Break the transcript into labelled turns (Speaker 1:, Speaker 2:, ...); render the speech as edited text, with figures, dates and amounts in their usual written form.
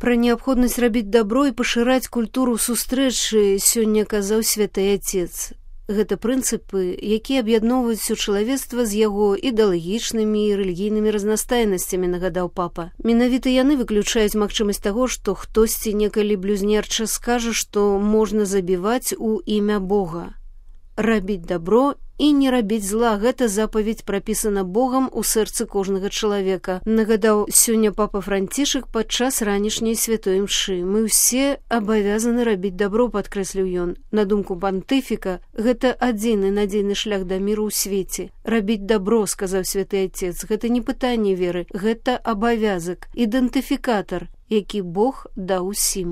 Speaker 1: Пра неабходнасць рабіць дабро і пашыраць культуру сустрэчы сёння казаў святы Отец. Гэта прынцыпы, якія аб'ядноўваюць усё чалавецтва з яго ідэалагічнымі і рэлігійнымі разнастайнасцямі, нагадаў папа. Менавіта яны выключаюць магчымасць таго, што хтосьці некалі блюзнерча скажа, што можна забіваць у імя Бога. Рабіць дабро і не рабіць зла – гэта запаведь прапісана Богам у сэрцы кожнага чалавека, нагадаў сёння папа Францішак падчас ранішняй святой імшы. Мы ўсе абавязаны рабіць дабро, падкрэсліў ён. На думку пантыфіка, гэта адзіны надзейны шлях да міру ў свеце. Рабіць дабро, сказаў святы Отец, гэта не пытанне веры, гэта абавязак, ідэнтыфікатар, які Бог даў усім.